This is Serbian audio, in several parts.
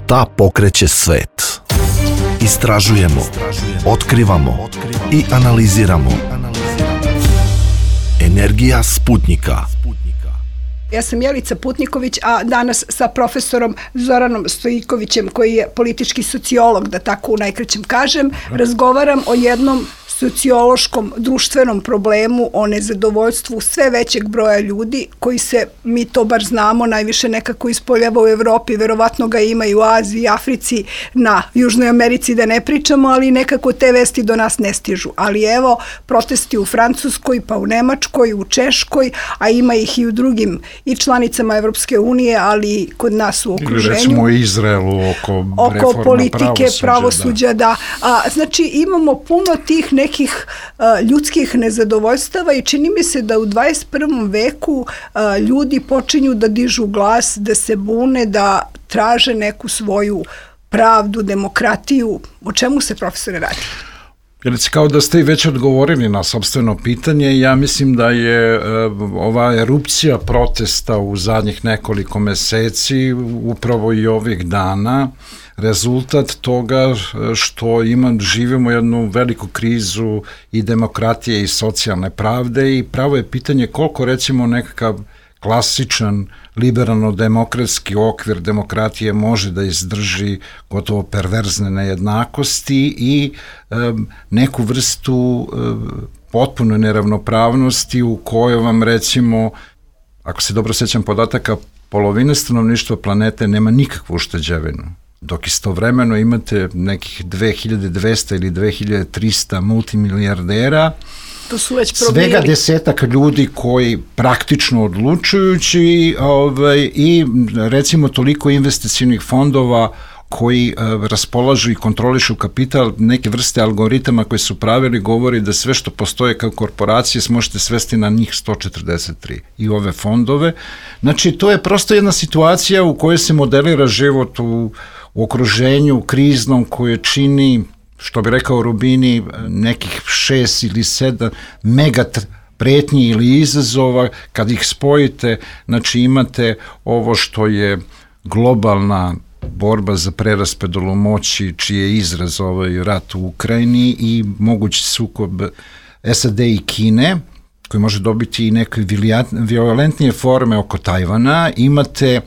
Ta pokreće svet. Istražujemo, otkrivamo i analiziramo. Energija Sputnika. Ja sam Jelica Putniković, a danas sa profesorom Zoranom Stojikovićem, koji je politički sociolog, da tako u najkraćem kažem, razgovaram o jednom sociološkom, društvenom problemu, o nezadovoljstvu sve većeg broja ljudi koji se, mi to bar znamo, najviše nekako ispoljava u Evropi, verovatno ga ima i u Aziji, Africi, na Južnoj Americi da ne pričamo, ali nekako te vesti do nas ne stižu. Ali evo, protesti u Francuskoj, pa u Nemačkoj, u Češkoj, a ima ih i u drugim i članicama Evropske unije, ali i kod nas u okruženju. Ili recimo u Izraelu oko politike, pravosuđa, da. Znači, imamo puno tih nekih ljudskih nezadovoljstava i čini mi se da u 21. veku ljudi počinju da dižu glas, da se bune, da traže neku svoju pravdu, demokratiju. O čemu se, profesore, radi? Jelice, kao da ste i već odgovorili na sopstveno pitanje, ja mislim da je ova erupcija protesta u zadnjih nekoliko meseci, upravo i ovih dana, rezultat toga što živimo jednu veliku krizu i demokratije i socijalne pravde i pravo je pitanje koliko recimo nekakav klasičan liberalno-demokratski okvir demokratije može da izdrži gotovo perverzne nejednakosti i neku vrstu potpune neravnopravnosti u kojoj vam recimo, ako se dobro sećam podataka, polovina stanovništva planete nema nikakvu ušteđevinu. Dok istovremeno imate nekih 2200 ili 2300 multimilijardera, to su već svega desetak ljudi koji praktično odlučujući i recimo toliko investicionih fondova koji raspolažu i kontrolišu kapital, neke vrste algoritama koje su pravili govori da sve što postoje kao korporacije možete svesti na njih 143 i ove fondove. Znači, to je prosto jedna situacija u kojoj se modelira život u okruženju kriznom koje čini, što bi rekao Rubini, nekih 6 ili 7 mega pretnji ili izazova. Kad ih spojite, znači imate ovo što je globalna borba za preraspodelu moći, čiji je izraz ovaj rat u Ukrajini i mogući sukob SAD i Kine, koji može dobiti i neke violentnije forme oko Tajvana. Imate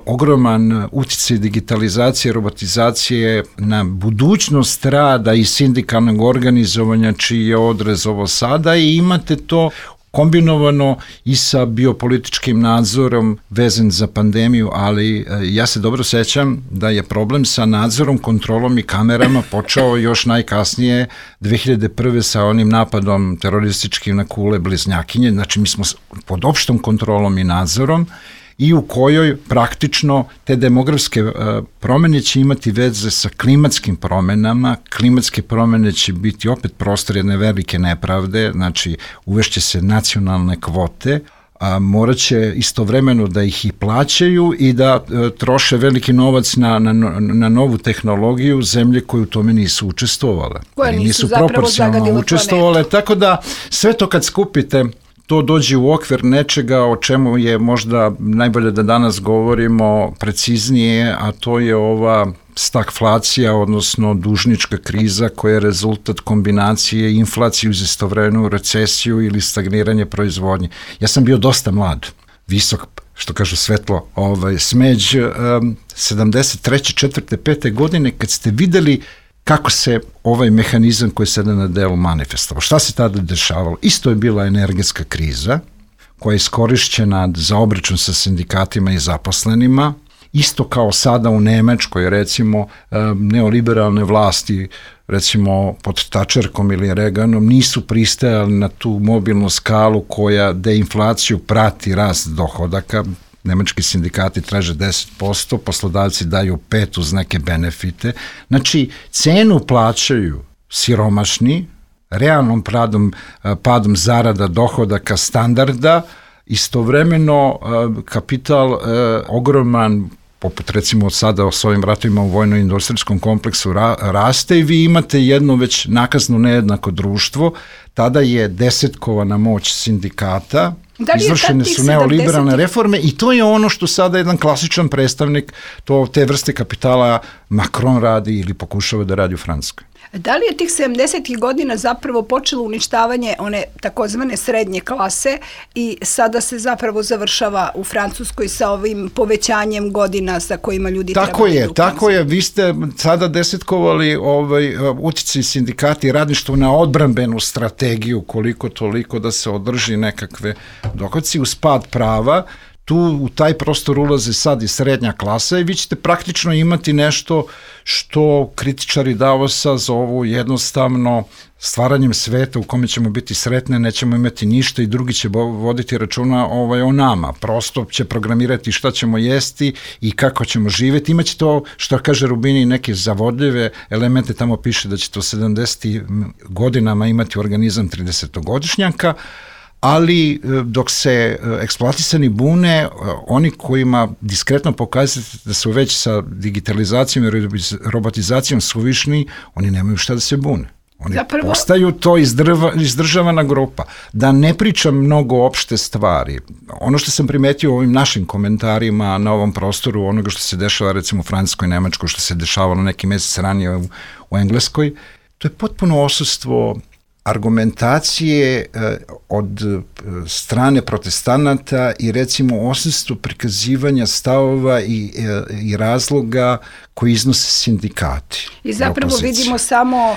ogroman uticaj digitalizacije, robotizacije na budućnost rada i sindikalnog organizovanja, čiji je odrez ovo sada, i imate to kombinovano i sa biopolitičkim nadzorom vezan za pandemiju, ali ja se dobro sećam da je problem sa nadzorom, kontrolom i kamerama počeo još najkasnije 2001. sa onim napadom terorističkim na Kule bliznjakinje. Znači, mi smo pod opštom kontrolom i nadzorom i u kojoj praktično te demografske promene će imati veze sa klimatskim promenama. Klimatske promene će biti opet prostor jedne velike nepravde, znači uvešće se nacionalne kvote, a morat će istovremeno da ih i plaćaju i da troše veliki novac na novu tehnologiju zemlje koje u tome nisu učestvovale. Koje nisu proporcionalno učestvovale. Tako da sve to kad skupite, to dođe u okvir nečega o čemu je možda najbolje da danas govorimo preciznije, a to je ova stagflacija, odnosno dužnička kriza koja je rezultat kombinacije inflacije uz istovremenu recesiju ili stagniranje proizvodnje. Ja sam bio dosta mlad, visok, što kažu svetlo, smeđ 73. 4. 5. godine kad ste videli kako se ovaj mehanizam koji je sada na delu manifestovao. Šta se tada dešavalo? Isto je bila energetska kriza koja je iskorišćena za obračun sa sindikatima i zaposlenima. Isto kao sada u Nemačkoj, recimo, neoliberalne vlasti, recimo pod Thatcherkom ili Reaganom, nisu pristajali na tu mobilnu skalu koja deinflaciju prati rast dohodaka. Nemački sindikati traže 10%, poslodavci daju 5% uz neke benefite. Znači, cenu plaćaju siromašni, realnom padom zarada, dohodaka, standarda, istovremeno kapital ogroman, poput recimo sada s ovim ratovima u vojno-industrijskom kompleksu raste i vi imate jedno već nakazno nejednako društvo. Tada je desetkovana moć sindikata izvršene su neoliberalne reforme i to je ono što sada jedan klasičan predstavnik te vrste kapitala Macron radi ili pokušava da radi u Francuskoj. Da li je tih 70. godina zapravo počelo uništavanje one takozvane srednje klase i sada se zapravo završava u Francuskoj sa ovim povećanjem godina sa kojima ljudi Tako je. Vi ste sada desetkovali uticaj sindikati i radništvo na odbrambenu strategiju koliko toliko da se održi nekakve dohodci uz pad prava. Tu u taj prostor ulaze sad i srednja klasa i vi ćete praktično imati nešto što kritičari Davosa zovu jednostavno stvaranjem sveta u kome ćemo biti sretne, nećemo imati ništa i drugi će voditi računa o nama. Prosto će programirati šta ćemo jesti i kako ćemo živjeti. Imaće to, što kaže Rubini, neke zavodljive elemente, tamo piše da će to 70. godinama imati organizam 30-godišnjaka, ali dok se eksploatisani bune, oni kojima diskretno pokazati da su već sa digitalizacijom i robotizacijom suvišni, oni nemaju šta da se bune. Oni postaju to izdržavana grupa. Da ne pričam mnogo opšte stvari. Ono što sam primetio u ovim našim komentarima na ovom prostoru, onoga što se dešava recimo u Francuskoj, Nemačkoj, što se dešavalo neki mesec ranije u Engleskoj, to je potpuno odsustvo argumentacije od strane protestanata i recimo odsustvo prikazivanja stavova i razloga koji iznose sindikati. I zapravo vidimo samo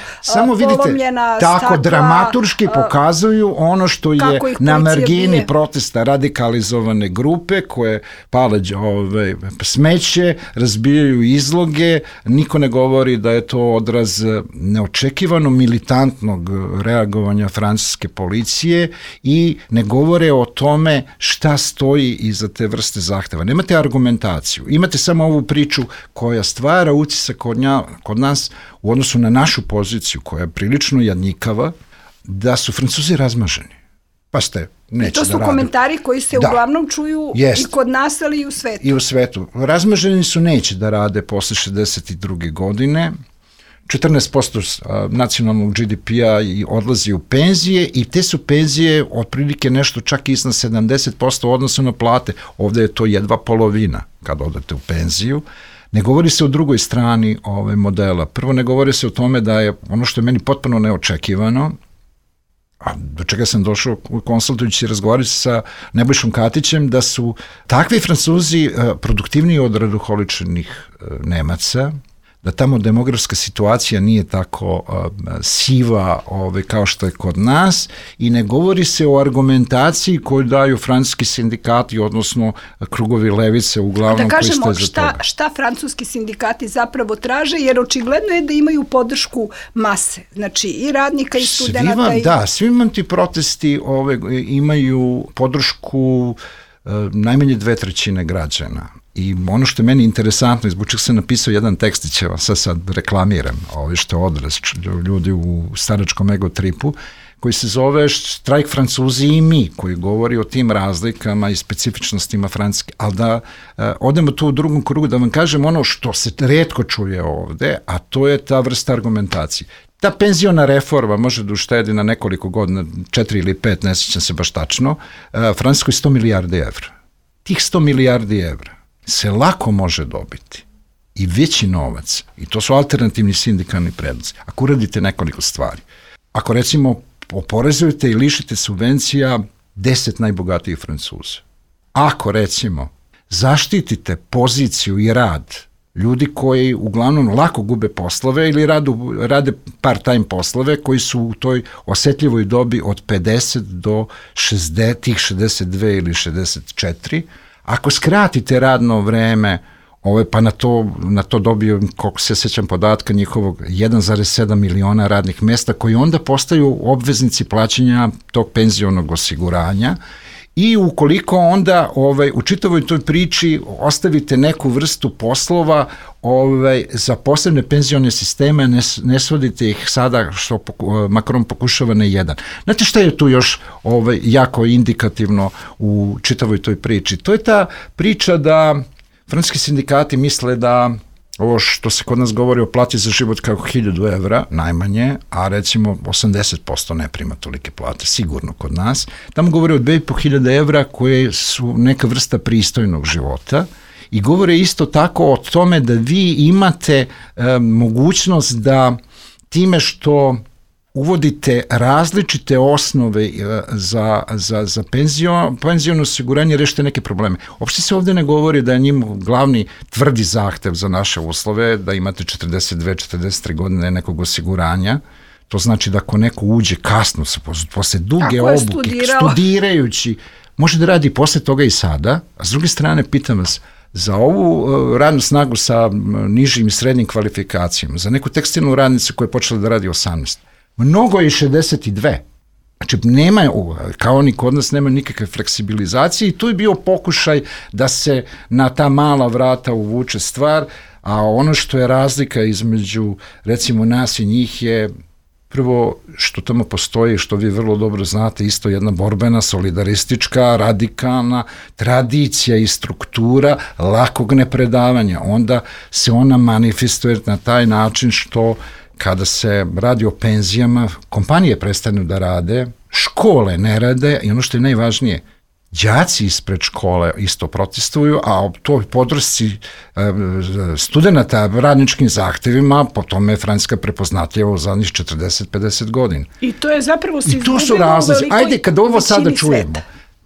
polomljena stakla. Tako dramaturški pokazuju ono što je na margini protesta radikalizovane grupe koje pale smeće, razbijaju izloge, niko ne govori da je to odraz neočekivano militantnog reagovanja francuske policije i ne govore o tome šta stoji iza te vrste zahteva. Nemate argumentaciju, imate samo ovu priču koja stvara utisak kod nas u odnosu na našu poziciju koja je prilično jadnjikava, da su Francuzi razmaženi. Pa neće da rade. To su komentari koji se uglavnom čuju i kod nas, ali i u svetu. I u svetu. Razmaženi su, neće da rade posle 62. godine. 14% nacionalnog GDP-a odlazi u penzije i te su penzije otprilike nešto čak iznad 70% u odnosu na plate. Ovde je to jedva polovina kad odete u penziju. Ne govori se o drugoj strani modela. Prvo, ne govori se o tome da je ono što je meni potpuno neočekivano, a do čega sam došao konsultujući i razgovarati sa Nebojšom Katićem, da su takvi Francuzi produktivniji od raduholičnih Nemaca, da tamo demografska situacija nije tako siva kao što je kod nas i ne govori se o argumentaciji koju daju francuski sindikati, odnosno krugovi levice uglavnom koji stoje za toga. Šta francuski sindikati zapravo traže, jer očigledno je da imaju podršku mase, znači i radnika i studenta. Svi vam ti protesti imaju podršku najmanje 2/3 građana. I ono što je meni interesantno, zbog čega sam napisao jedan tekstić, sad reklamiram, što je odraz ljudi u staračkom ego tripu, koji se zove Štrajk Francuzi i mi, koji govori o tim razlikama i specifičnostima Francuske. Ali da odemo tu u drugom krugu, da vam kažem ono što se retko čuje ovde, a to je ta vrsta argumentacije. Ta penziona reforma može da uštedi na nekoliko godina, 4 ili 5, ne sjećam se baš tačno, Francuskoj 100 milijardi evra. Tih 100 milijardi evra se lako može dobiti i veći novac, i to su alternativni sindikalni predlozi, ako uradite nekoliko stvari. Ako recimo oporezujete i lišite subvencija 10 najbogatijih Francuza, ako recimo zaštitite poziciju i rad ljudi koji uglavnom lako gube poslove ili rade part-time poslove koji su u toj osetljivoj dobi od 50 do 62 ili 64, ako skratite radno vreme, pa na to dobiju, koliko se sjećam podatka, njihovog 1,7 miliona radnih mesta koji onda postaju obveznici plaćanja tog penzionog osiguranja i ukoliko onda u čitavoj toj priči ostavite neku vrstu poslova za posebne penzione sisteme, ne svodite ih sada što Macron pokušava na jedan. Znate šta je tu još jako indikativno u čitavoj toj priči? To je ta priča da francuski sindikati misle da ovo što se kod nas govori o plati za život kao 1000 evra, najmanje, a recimo 80% ne prima tolike plate, sigurno kod nas. Tamo govori o 2500 evra koje su neka vrsta pristojnog života i govore isto tako o tome da vi imate mogućnost da time što uvodite različite osnove za penziono osiguranje, rešite neke probleme. Uopšte se ovde ne govori da je njim glavni tvrdi zahtev za naše uslove, da imate 42-43 godine nekog osiguranja. To znači da ako neko uđe kasno, posle duge obuke, studirajući, može da radi posle toga i sada. A s druge strane, pitam vas, za ovu radnu snagu sa nižim i srednjim kvalifikacijama, za neku tekstilnu radnicu koja je počela da radi 18, mnogo je 62. Znači, nema, kao ni kod nas, nema nikakve fleksibilizacije i tu je bio pokušaj da se na ta mala vrata uvuče stvar, a ono što je razlika između, recimo, nas i njih je prvo što tamo postoji, što vi vrlo dobro znate, isto jedna borbena, solidaristička, radikalna tradicija i struktura lakog nepredavanja. Onda se ona manifestuje na taj način što kada se radi o penzijama, kompanije prestanu da rade, škole ne rade i ono što je najvažnije, đaci ispred škole isto protestuju, a o toj podršci studenta radničkim zahtevima, po tome je Francuska prepoznatljiva u zadnjih 40-50 godina. I to je zapravo se izgubilo u velikoj. Ajde, kada ovo sada čujemo,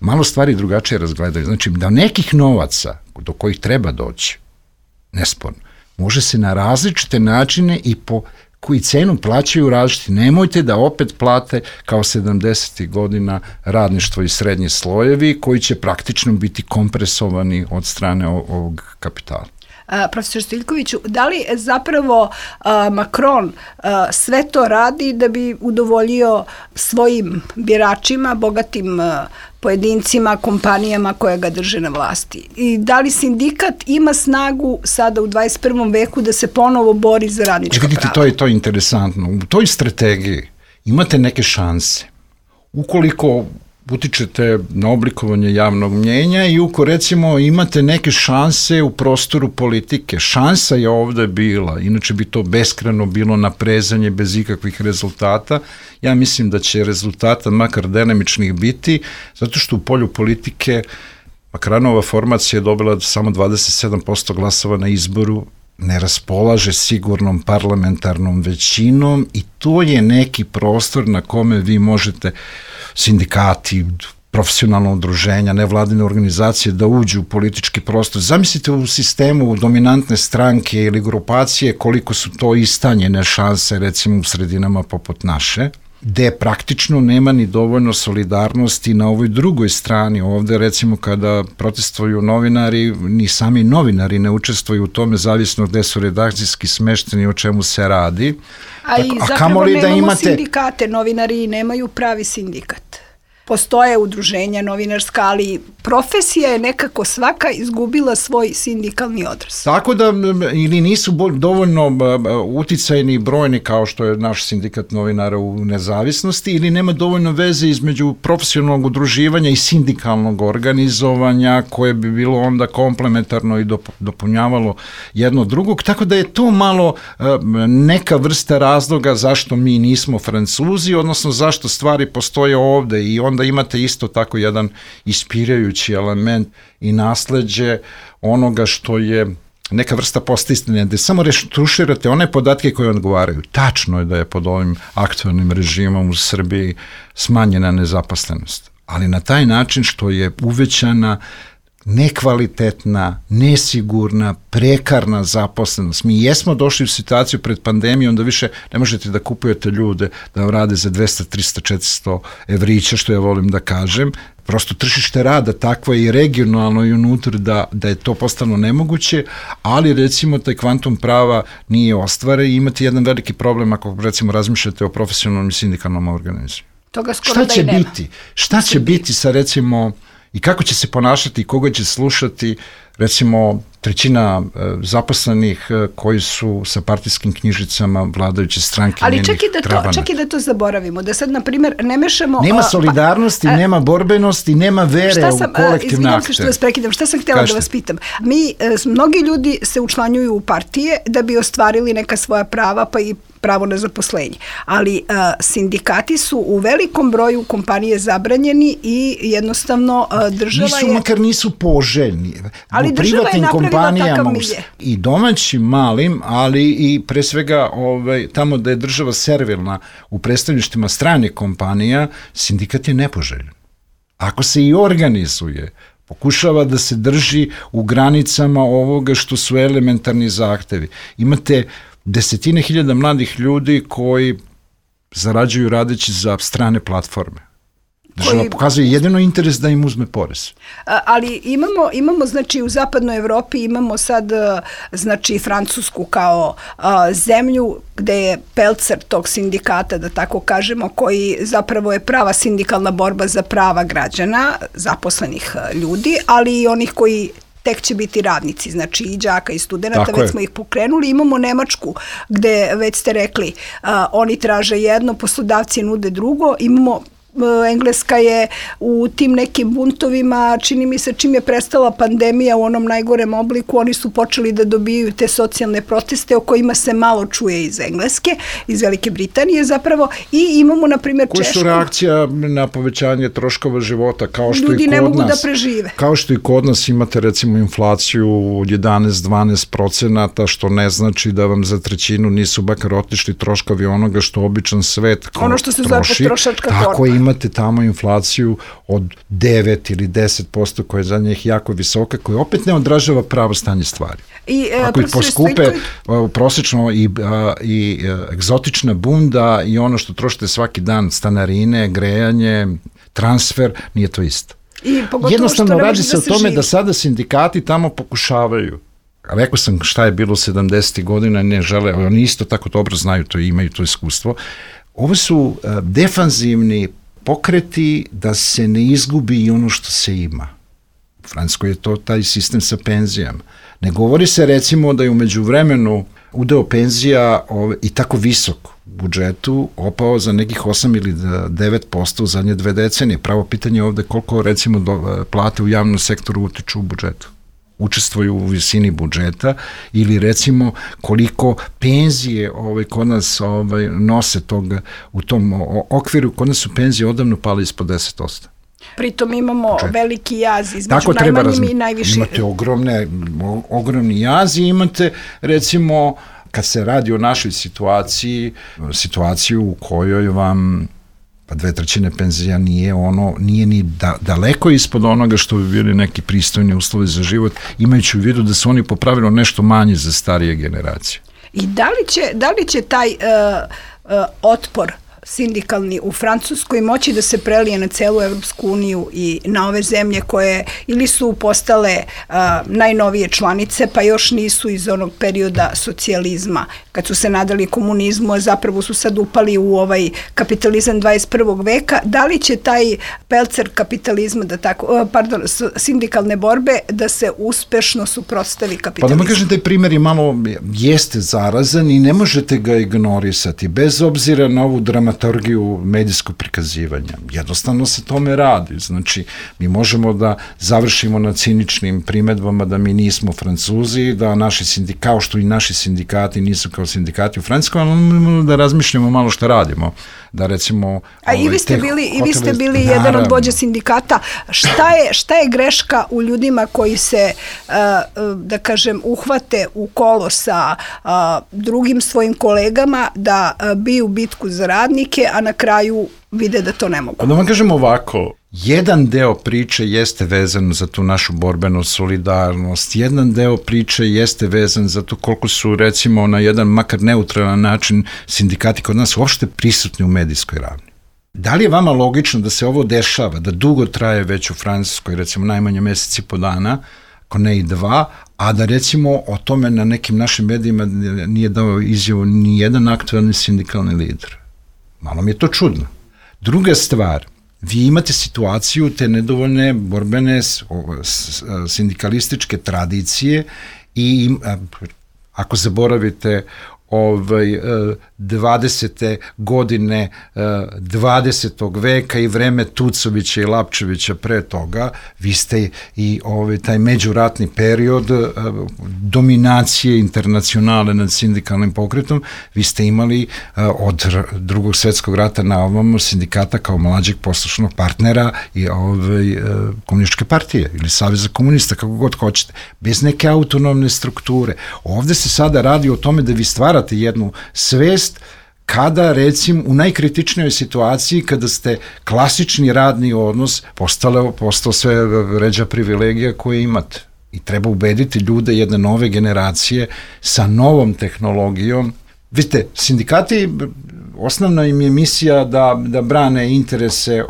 malo stvari drugačije razgledaju. Znači, da nekih novaca do kojih treba doći, nesporno, može se na različite načine i po koji cenu plaćaju različiti. Nemojte da opet plate kao 70. godina radništvo i srednji slojevi koji će praktično biti kompresovani od strane ovog kapitala. Profesor Stojiljkoviću, da li zapravo Macron sve to radi da bi udovoljio svojim biračima, bogatim pojedincima, kompanijama koje ga drže na vlasti? I da li sindikat ima snagu sada u 21. veku da se ponovo bori za radnička prava? Vidite, to je interesantno. U toj strategiji imate neke šanse. Ukoliko utičete na oblikovanje javnog mnjenja i uko recimo imate neke šanse u prostoru politike. Šansa je ovde bila, inače bi to beskrajno bilo naprezanje bez ikakvih rezultata. Ja mislim da će rezultata makar dinamičnih biti, zato što u polju politike Macronova formacija je dobila samo 27% glasova na izboru, ne raspolaže sigurnom parlamentarnom većinom i to je neki prostor na kome vi možete sindikati, profesionalna udruženja, nevladine organizacije da uđu u politički prostor. Zamislite u sistemu dominantne stranke ili grupacije koliko su to istanjene šanse recimo u sredinama poput naše, gde praktično nema ni dovoljno solidarnosti na ovoj drugoj strani. Ovde recimo kada protestuju novinari, ni sami novinari ne učestvuju u tome, zavisno gde su redakcijski smešteni, o čemu se radi. A i zapravo nemamo sindikate, novinari nemaju pravi sindikat. Postoje udruženja novinarska, ali profesija je nekako svaka izgubila svoj sindikalni odraz. Tako da ili nisu dovoljno uticajni i brojni kao što je naš sindikat novinara u nezavisnosti ili nema dovoljno veze između profesionalnog udruživanja i sindikalnog organizovanja koje bi bilo onda komplementarno i dopunjavalo jedno drugog. Tako da je to malo neka vrsta razloga zašto mi nismo Francuzi, odnosno zašto stvari postoje ovde i onda imate isto tako jedan ispirajući element i nasleđe onoga što je neka vrsta postistine, gde samo retuširate one podatke koje odgovaraju. Tačno je da je pod ovim aktualnim režimom u Srbiji smanjena nezaposlenost, ali na taj način što je uvećana nekvalitetna, nesigurna, prekarna zaposlenost. Mi jesmo došli u situaciju pred pandemijom da više ne možete da kupujete ljude da vam rade za 200, 300, 400 evrića, što ja volim da kažem. Prosto tržište rada takvo je i regionalno i unutar da je to postalo nemoguće, ali recimo taj kvantum prava nije ostvaren i imate jedan veliki problem ako recimo razmišljate o profesionalnom i sindikalnom organizaciji. Toga skoro da i nema. Šta će biti sa recimo I kako će se ponašati, koga će slušati, recimo trećina zaposlenih koji su sa partijskim knjižicama vladajuće stranke. Ali čak i da to zaboravimo, da sad, na primjer, ne mešamo... Nema solidarnosti, nema borbenosti, nema vere u kolektivne akte. Izvinjam se što vas prekidam, šta sam htjela da vas pitam? Mnogi ljudi se učlanjuju u partije da bi ostvarili neka svoja prava, pa i pravo na zaposlenje. Ali sindikati su u velikom broju kompanije zabranjeni i jednostavno država makar nisu poželjni. Ali država je napravila takav milje. I domaćim malim, ali i pre svega tamo da je država servilna u predstavništvima stranih kompanija, sindikat je nepoželjen. Ako se i organizuje, pokušava da se drži u granicama ovoga što su elementarni zahtevi. Imate desetine hiljada mladih ljudi koji zarađuju radeći za strane platforme. Država pokazuje jedino interes da im uzme porez. Ali imamo znači u zapadnoj Evropi imamo sad znači Francusku kao zemlju gde je pelcer tog sindikata, da tako kažemo, koji zapravo je prava sindikalna borba za prava građana, zaposlenih ljudi, ali i onih koji tek će biti radnici, znači i đaka i studenta, već smo ih pokrenuli. Imamo Nemačku gde, već ste rekli, oni traže jedno, poslodavci nude drugo. Imamo Engleska je u tim nekim buntovima, čini mi se čim je prestala pandemija u onom najgorem obliku, oni su počeli da dobijaju te socijalne proteste o kojima se malo čuje iz Engleske, iz Velike Britanije zapravo, i imamo na primjer Češku. Koje su reakcija na povećanje troškova života, kao što ljudi i kod ne mogu nas, da prežive. Kao što i kod nas imate recimo inflaciju 11-12%, što ne znači da vam za trećinu nisu bakar otišli troškovi onoga što običan svet troši. Ono što se zove potrošačka korpa. Tako imate tamo inflaciju od 9 ili 10% koja je za njih jako visoka, koja opet ne odražava pravo stanje stvari. Ako ih poskupe prosečno i egzotična bunda i ono što trošite svaki dan, stanarine, grejanje, transfer, nije to isto. Jednostavno radi se o tome da sada sindikati tamo pokušavaju. Rekao sam šta je bilo 70. godina, ne žele, oni isto tako dobro znaju to i imaju to iskustvo. Ovo su defanzivni pokreti da se ne izgubi i ono što se ima. U Francuskoj je to taj sistem sa penzijama. Ne govori se recimo da je u međuvremenu udeo penzija i tako visok u budžetu opao za nekih 8 ili 9% u zadnje 2 decenije. Pravo pitanje je ovde koliko recimo plate u javnom sektoru utiču u budžetu. Učestvuju u visini budžeta ili recimo koliko penzije kod nas nose toga u tom okviru, kod nas su penzije odavno pale ispod 10%. Pritom imamo veliki jaz između najmanjim i najvišim. Imate ogromni jaz i imate recimo kad se radi o našoj situaciju u kojoj vam 2/3 penzija nije ni daleko ispod onoga što bi bili neki pristojni uslovi za život, imajući u vidu da su oni po pravilu nešto manji za starije generacije. I da li će taj otpor sindikalni u Francuskoj moći da se prelije na celu Evropsku uniju i na ove zemlje koje ili su postale najnovije članice, pa još nisu iz onog perioda socijalizma, kad su se nadali komunizmu, a zapravo su sad upali u ovaj kapitalizam 21. veka. Da li će taj pelcer kapitalizma, sindikalne borbe, da se uspešno suprotstavi kapitalizmu? Pa da kažem, taj primjer je malo jeste zarazan i ne možete ga ignorisati, bez obzira na ovu dramaturgiju medijskog prikazivanja. Jednostavno se tome radi. Znači, mi možemo da završimo na ciničnim primedbama da mi nismo Francuzi, da kao što i naši sindikati nisu kao sindikati u Francuskoj, ali možemo da razmišljamo malo što radimo. Da recimo... A i vi ste bili jedan od vođa sindikata. Šta je greška u ljudima koji se, da kažem, uhvate u kolo sa drugim svojim kolegama da biju bitku za radnike, a na kraju vide da to ne mogu? Da vam kažem ovako, jedan deo priče jeste vezan za tu našu borbenu solidarnost, jedan deo priče jeste vezan za to koliko su recimo na jedan makar neutralan način sindikati kod nas uopšte prisutni u medijskoj ravni. Da li je vama logično da se ovo dešava, da dugo traje već u Francuskoj, recimo najmanje mesec i po dana, ako ne i 2, a da recimo o tome na nekim našim medijima nije dao izjavu ni jedan aktualni sindikalni lider? Malo mi je to čudno. Druga stvar, vi imate situaciju te nedovoljne borbene sindikalističke tradicije i ako zaboravite 20. godine 20. veka i vreme Tucovića i Lapčevića pre toga, vi ste i taj međuratni period dominacije internacionale nad sindikalnim pokretom, vi ste imali od Drugog svetskog rata na ovamo sindikata kao mlađeg poslušnog partnera i komunističke partije ili Saveza komunista, kako god hoćete, bez neke autonomne strukture. Ovde se sada radi o tome da vi stvarate jednu svest kada, recimo, u najkritičnijoj situaciji, kada ste klasični radni odnos postao sve ređa privilegija koje imate. I treba ubediti ljude jedne nove generacije sa novom tehnologijom. Vidite, sindikati, osnovna im je misija da brane interese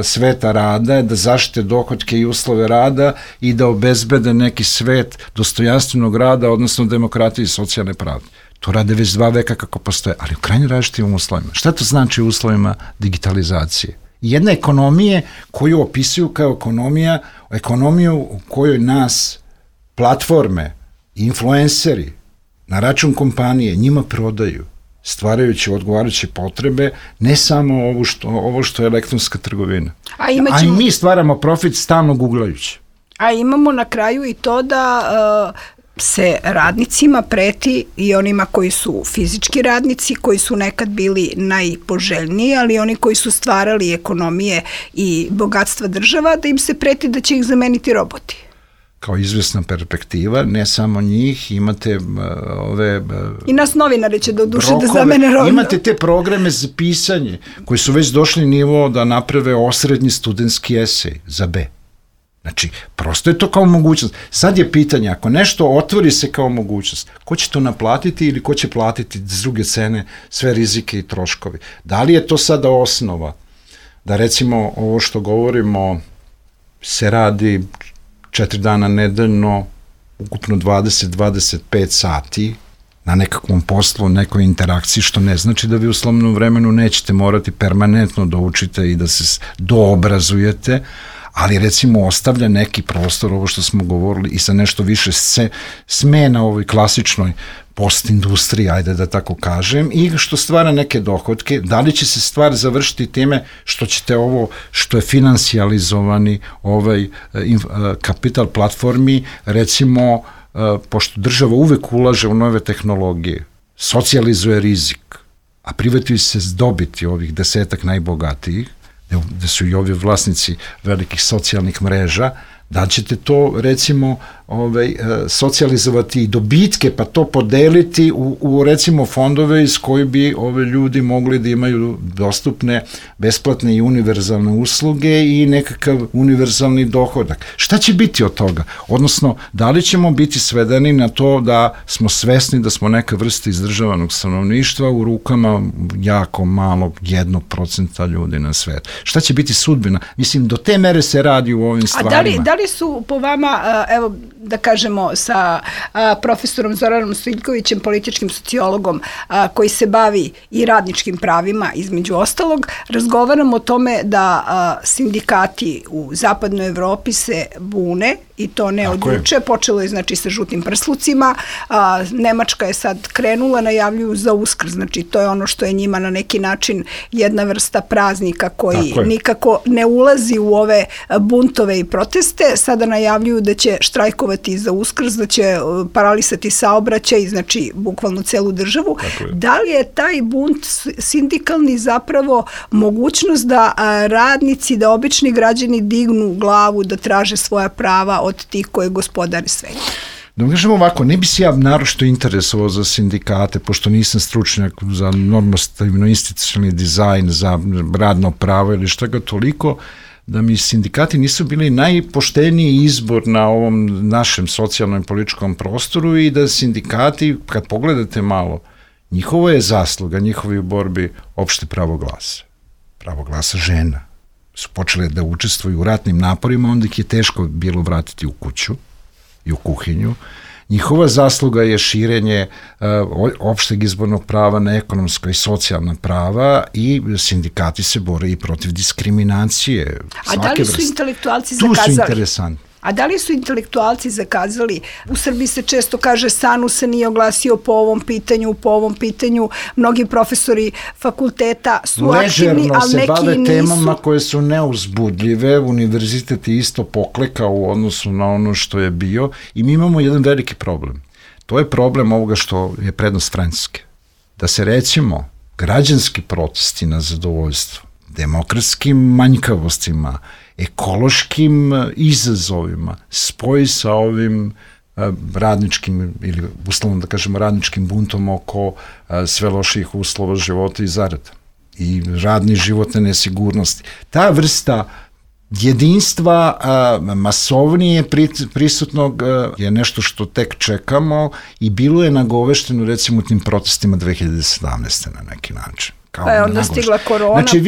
sveta rada, da zaštite dohotke i uslove rada i da obezbede neki svet dostojanstvenog rada, odnosno demokratije i socijalne pravde. To rade već 2 veka kako postoje, ali u krajnje različitim uslovima. Šta to znači u uslovima digitalizacije? Jedna ekonomije koju opisuju kao ekonomiju u kojoj nas platforme, influenceri na račun kompanije njima prodaju, stvarajući odgovarajuće potrebe, ne samo ovo što je elektronska trgovina. A i mi stvaramo profit stalno googlajući. A imamo na kraju i to da se radnicima preti i onima koji su fizički radnici, koji su nekad bili najpoželjniji, ali oni koji su stvarali ekonomije i bogatstva država, da im se preti da će ih zameniti roboti. Kao izvesna perspektiva, ne samo njih, imate i nas novinari će da zamene roboti. Imate te programe za pisanje, koji su već došli nivo da naprave osrednji studentski esej za B. Znači, prosto je to kao mogućnost. Sad je pitanje, ako nešto otvori se kao mogućnost, ko će to naplatiti ili ko će platiti s druge cene sve rizike i troškovi? Da li je to sada osnova da, recimo, ovo što govorimo se radi 4 dana nedeljno, ukupno 20-25 sati na nekakvom poslu, nekoj interakciji, što ne znači da vi u slobodnom vremenu nećete morati permanentno da učite i da se doobrazujete, ali recimo ostavlja neki prostor, ovo što smo govorili, i sa nešto više smena ovoj klasičnoj postindustriji, ajde da tako kažem, i što stvara neke dohodke. Da li će se stvar završiti time što ćete ovo, što je financijalizovani kapital platformi, recimo, pošto država uvek ulaže u nove tehnologije, socijalizuje rizik, a privatizuju se dobiti ovih 10 najbogatijih, gde su i ovi vlasnici velikih socijalnih mreža, da ćete to, recimo, socijalizovati i dobitke, pa to podeliti u recimo fondove iz koji bi ove ljudi mogli da imaju dostupne besplatne i univerzalne usluge i nekakav univerzalni dohodak. Šta će biti od toga? Odnosno, da li ćemo biti svedeni na to da smo svesni da smo neka vrsta izdržavanog stanovništva u rukama jako malo 1% ljudi na svetu? Šta će biti sudbina? Mislim, do te mere se radi u ovim stvarima. A da li su po vama, evo, da kažemo, sa profesorom Zoranom Stojiljkovićem, političkim sociologom, koji se bavi i radničkim pravima, između ostalog, razgovaramo o tome da sindikati u zapadnoj Evropi se bune, i to ne od juče, počelo je znači sa žutim prslucima, Nemačka je sad krenula, najavljuju za Uskrs, znači to je ono što je njima na neki način jedna vrsta praznika koji nikako ne ulazi u ove buntove i proteste, sada najavljuju da će štrajkovati za Uskrs, da će paralisati saobraćaj, znači bukvalno celu državu. Da li je taj bunt sindikalni zapravo mogućnost da radnici, da obični građani dignu glavu, da traže svoja prava od tih koje gospodare sve? Da vam kažem ovako, ne bi se ja naročito interesovao za sindikate, pošto nisam stručnjak za normativno-institucionalni dizajn, za radno pravo ili šta ga toliko, da mi sindikati nisu bili najpošteniji izbor na ovom našem socijalnom i političkom prostoru i da sindikati, kad pogledate malo, njihovo je zasluga, njihovi u borbi opšte pravo glasa. Pravo glasa žena. Su počele da učestvuju u ratnim naporima, onda ih je teško bilo vratiti u kuću i u kuhinju. Njihova zasluga je širenje opšteg izbornog prava na ekonomsko i socijalna prava i sindikati se bore i protiv diskriminacije. A da li su intelektualci zakazali? Tu su interesantni. A da li su intelektualci zakazali? U Srbiji se često kaže SANU se nije oglasio po ovom pitanju, mnogi profesori fakulteta su aktivni, ali neki nisu. Ležerno se bave temama koje su neuzbudljive, univerzitet je isto poklekao u odnosu na ono što je bio i mi imamo jedan veliki problem. To je problem ovoga što je prednost Francuske. Da se recimo građanski protesti na zadovoljstvo, demokratskim manjkavostima, ekološkim izazovima spoji sa ovim radničkim ili uslovno da kažemo radničkim buntom oko sve loših uslova života i zarada i radne životne nesigurnosti. Ta vrsta jedinstva masovnije prisutnog je nešto što tek čekamo i bilo je nagovešteno recimo u tim protestima 2017. na neki način. Pa je onda stigla korona. Znači,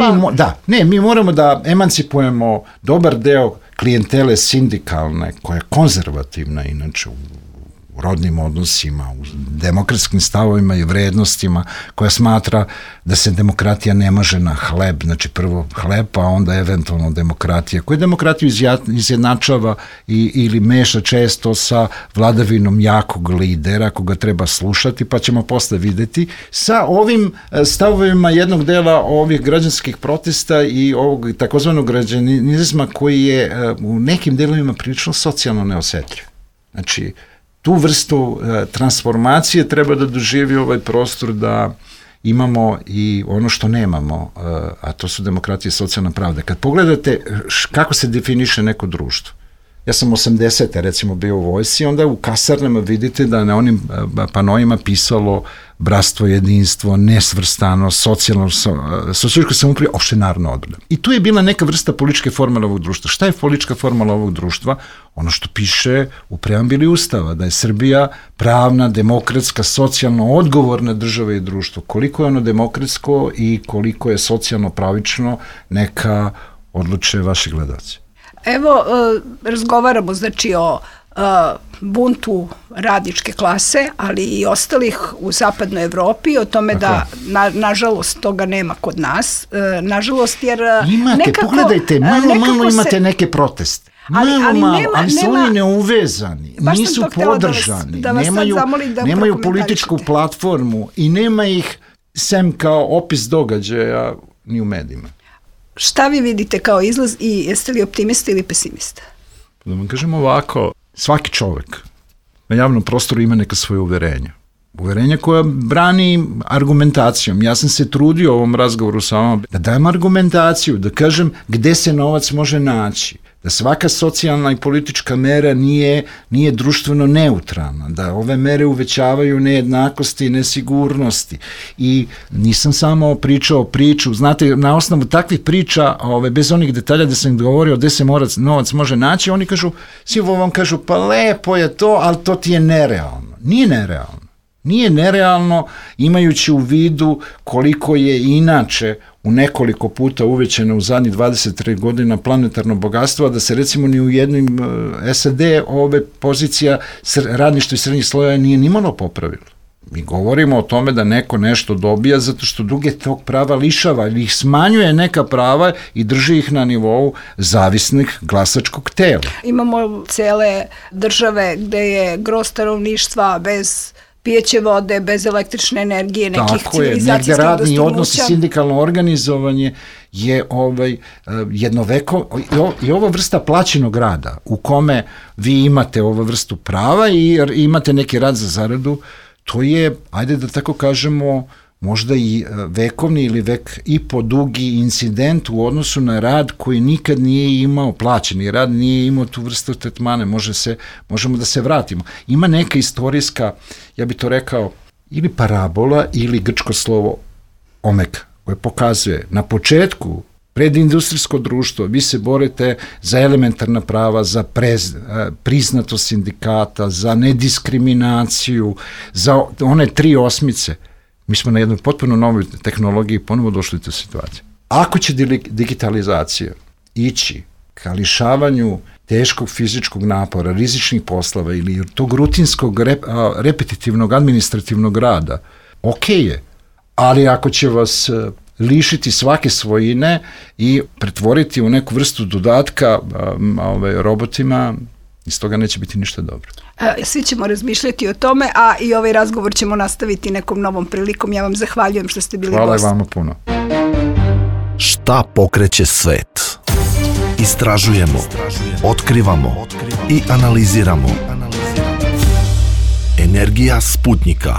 mi moramo da emancipujemo dobar deo klijentele sindikalne, koja je konzervativna inače u rodnim odnosima, u demokratskim stavovima i vrednostima, koja smatra da se demokratija ne može na hleb, znači prvo hleb, a onda eventualno demokratija, koja demokratiju izjednačava ili meša često sa vladavinom jakog lidera, koga treba slušati, pa ćemo posle videti, sa ovim stavovima jednog dela ovih građanskih protesta i ovog takozvanog građanizma koji je u nekim delovima prilično socijalno neosetljiv. Znači, tu vrstu transformacije treba da doživi ovaj prostor da imamo i ono što nemamo, a to su demokratija i socijalna pravda. Kad pogledate kako se definiše neko društvo, ja sam 80. recimo bio u vojsci, onda u kasarnama vidite da na onim panojima pisalo bratstvo, jedinstvo, nesvrstanost, socijalističko samoupravljanje, opšte narodna odbrana. I tu je bila neka vrsta političke formule ovog društva. Šta je politička formula ovog društva? Ono što piše u preambili Ustava, da je Srbija pravna, demokratska, socijalno odgovorna država i društvo. Koliko je ono demokratsko i koliko je socijalno pravično, neka odluče vaši gledaoci. Evo, razgovaramo znači o buntu radničke klase, ali i ostalih u zapadnoj Evropi, o tome da, nažalost, toga nema kod nas. Nažalost, jer imate, nekako... Pogledajte, malo imate neke proteste. Ali su oni neuvezani, nisu podržani, nemaju političku platformu i nema ih sem kao opis događaja ni u medijima. Šta vi vidite kao izlaz i jeste li optimista ili pesimista? Da vam kažem ovako, svaki čovek na javnom prostoru ima neka svoje uverenja. Uverenja koja brani argumentacijom. Ja sam se trudio u ovom razgovoru sa vama da dajem argumentaciju, da kažem gde se novac može naći, da svaka socijalna i politička mera nije društveno neutralna, da ove mere uvećavaju nejednakosti i nesigurnosti. I nisam samo pričao priču, znate, na osnovu takvih priča, bez onih detalja da sam govorio gde se novac može naći, oni kažu, svi vam kažu, pa lepo je to, ali to ti je nerealno. Nije nerealno. Nije nerealno imajući u vidu koliko je inače u nekoliko puta uvećeno u zadnjih 23 godina planetarno bogatstvo, a da se recimo ni u jednom SAD ove pozicija radništva i srednjih sloja nije nimalo popravilo. Mi govorimo o tome da neko nešto dobija zato što druge tog prava lišava ili ih smanjuje neka prava i drži ih na nivou zavisnih glasačkog tela. Imamo cele države gde je gro stanovništva bez pijeće vode, bez električne energije, nekih civilizacijskih dostignuća. Negde radni odnos i sindikalno organizovanje je jednoveko i ova vrsta plaćenog rada u kome vi imate ovu vrstu prava i imate neki rad za zaradu, to je, ajde da tako kažemo, možda i vekovni ili vek i po dugi incident u odnosu na rad koji nikad nije imao plaćeni rad, nije imao tu vrstu tretmane, možemo da se vratimo. Ima neka istorijska, ja bih to rekao, ili parabola ili grčko slovo omega, koje pokazuje na početku predindustrijsko društvo, vi se borite za elementarna prava, za priznatost sindikata, za nediskriminaciju, za one 3 osmice. Mi smo na jednoj potpuno novoj tehnologiji ponovo došli u tu situaciju. Ako će digitalizacija ići ka lišavanju teškog fizičkog napora, rizičnih poslova ili tog rutinskog, repetitivnog, administrativnog rada, ok je, ali ako će vas lišiti svake svojine i pretvoriti u neku vrstu dodatka robotima, iz toga neće biti ništa dobro. Svi ćemo razmišljati o tome, a i ovaj razgovor ćemo nastaviti nekom novom prilikom. Ja vam zahvaljujem što ste bili gost. Hvala vama puno. Šta pokreće svet? Istražujemo, otkrivamo i analiziramo. Energija Sputnika.